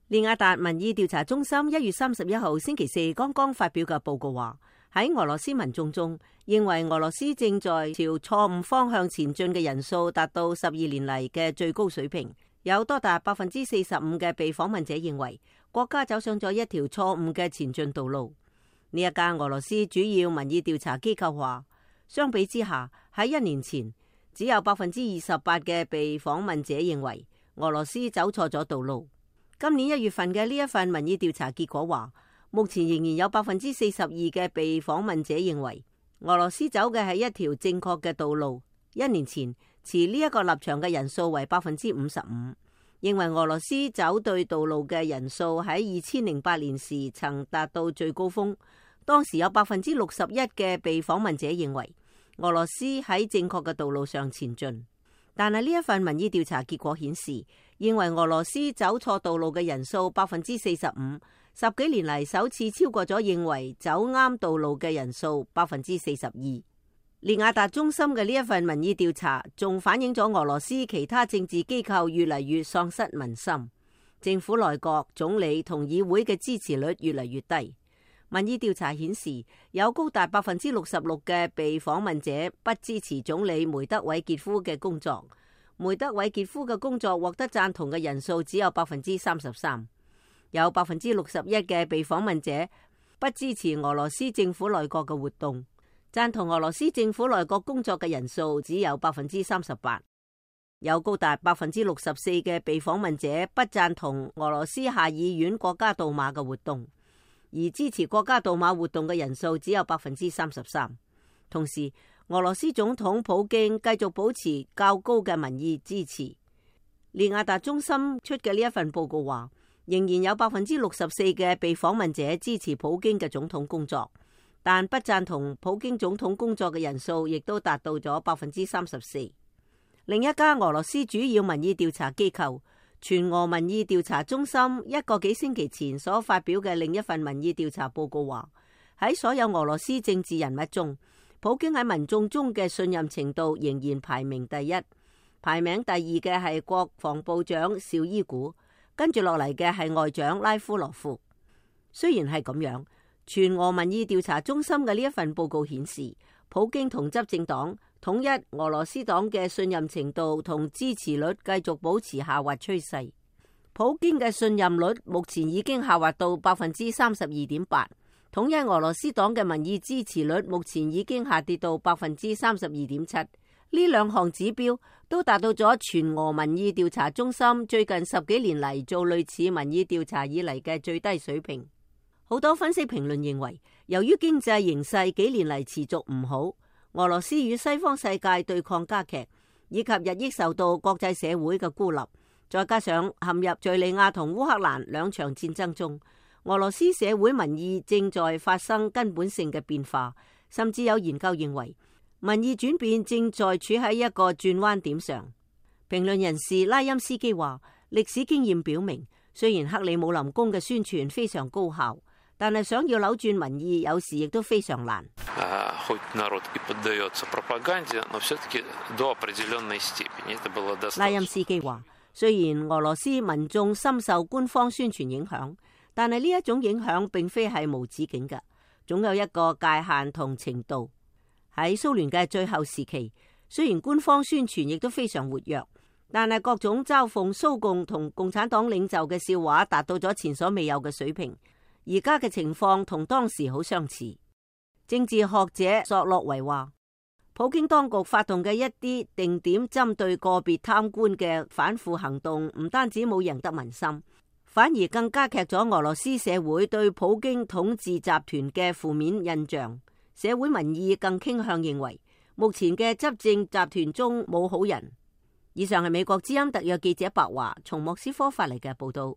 利雅達民意調查中心1月31號星期四剛剛發表嘅報告話，喺俄羅斯民眾中，認為俄羅斯正在朝錯誤方向前進嘅人數達到12年嚟嘅最高水平。有多達45%嘅被訪問者認為國家走上咗一條錯誤嘅前進道路。呢一家俄羅斯主要民意調查機構話，相比之下，喺1年前只有28%嘅被訪問者認為俄羅斯走錯咗道路。今年1月份嘅呢一份民意調查結果話，目前仍然有42%嘅被訪問者認為俄羅斯走嘅係一條正確嘅道路。1年前持呢一個立場嘅人數為55%，認為俄羅斯走對道路嘅人數喺2008年時曾達到最高峰，當時有61%嘅被訪問者認為俄羅斯喺正確嘅道路上前進。但係呢一份民意調查結果顯示，認為俄羅斯走錯道路嘅人數45%，10幾年嚟首次超過咗認為走啱道路嘅人數42%。利雅達中心嘅呢一份民意調查仲反映咗俄羅斯其他政治機構越嚟越喪失民心，政府內閣、總理同議會嘅支持率越嚟越低。民意調查顯示，有高達66%嘅被訪問者不支持總理梅德韋傑夫嘅工作。梅德韋傑夫嘅工作獲得贊同嘅人數只有33%。有61%嘅被訪問者不支持俄羅斯政府內閣嘅活動，贊同俄羅斯政府內閣工作嘅人數只有38%。有高達64%嘅被訪問者不贊同俄羅斯下議院國家杜馬嘅活動，而支持國家杜馬活動嘅人數只有33%。同時，俄羅斯總統普京繼續保持較高嘅民意支持。利雅達中心出嘅呢一份報告話，仍然有64%嘅被訪問者支持普京嘅總統工作，但不贊同普京總統工作嘅人數亦都達到咗34%。另一家俄羅斯主要民意調查機構全俄民意調查中心1個幾星期前所發表嘅另一份民意調查報告話，喺所有俄羅斯政治人物中，普京喺民眾中嘅信任程度仍然排名第一，排名第二嘅係國防部長紹伊古，跟住落嚟嘅係外長拉夫羅夫。雖然係咁樣，全俄民意調查中心嘅呢一份報告顯示，普京同執政黨統一俄羅斯黨嘅信任程度同支持率繼續保持下滑趨勢。普京嘅信任率目前已經下滑到32.8%，統一俄羅斯黨嘅民意支持率目前已經下跌到32.7%。呢兩項指標都達到咗全俄民意調查中心最近10幾年嚟做類似民意調查以嚟嘅最低水平。好多分析評論認為，由於經濟形勢幾年嚟持續唔好，俄羅斯與西方世界對抗加劇，以及日益受到國際社會嘅孤立，再加上陷入敘利亞同烏克蘭兩場戰爭中，俄羅斯社會民意正在發生根本性嘅變化，甚至有研究認為民意轉變正在處喺一個轉彎點上。評論人士拉欽斯基話，歷史經驗表明，雖然克里姆林宮嘅宣傳非常高效，但係想要扭轉民意，有時亦都非常難。拉欽斯基話，雖然俄羅斯民眾深受官方宣傳影響，但係呢一種影響並非係無止境嘅，總有一個界限同程度。喺蘇聯嘅最後時期，雖然官方宣傳亦都非常活躍，但係各種嘲諷蘇共同共產黨領袖嘅笑話達到咗前所未有嘅水平。而家嘅情況同當時好相似。政治學者索洛維話，普京當局發動嘅一啲定點針對個別貪官嘅反腐行動，唔單止冇贏得民心，反而更加劇咗俄羅斯社會對普京統治集團嘅負面印象。社會民意更傾向認為，目前嘅執政集團中冇好人。以上係美國之音特約記者白華從莫斯科發嚟嘅報道。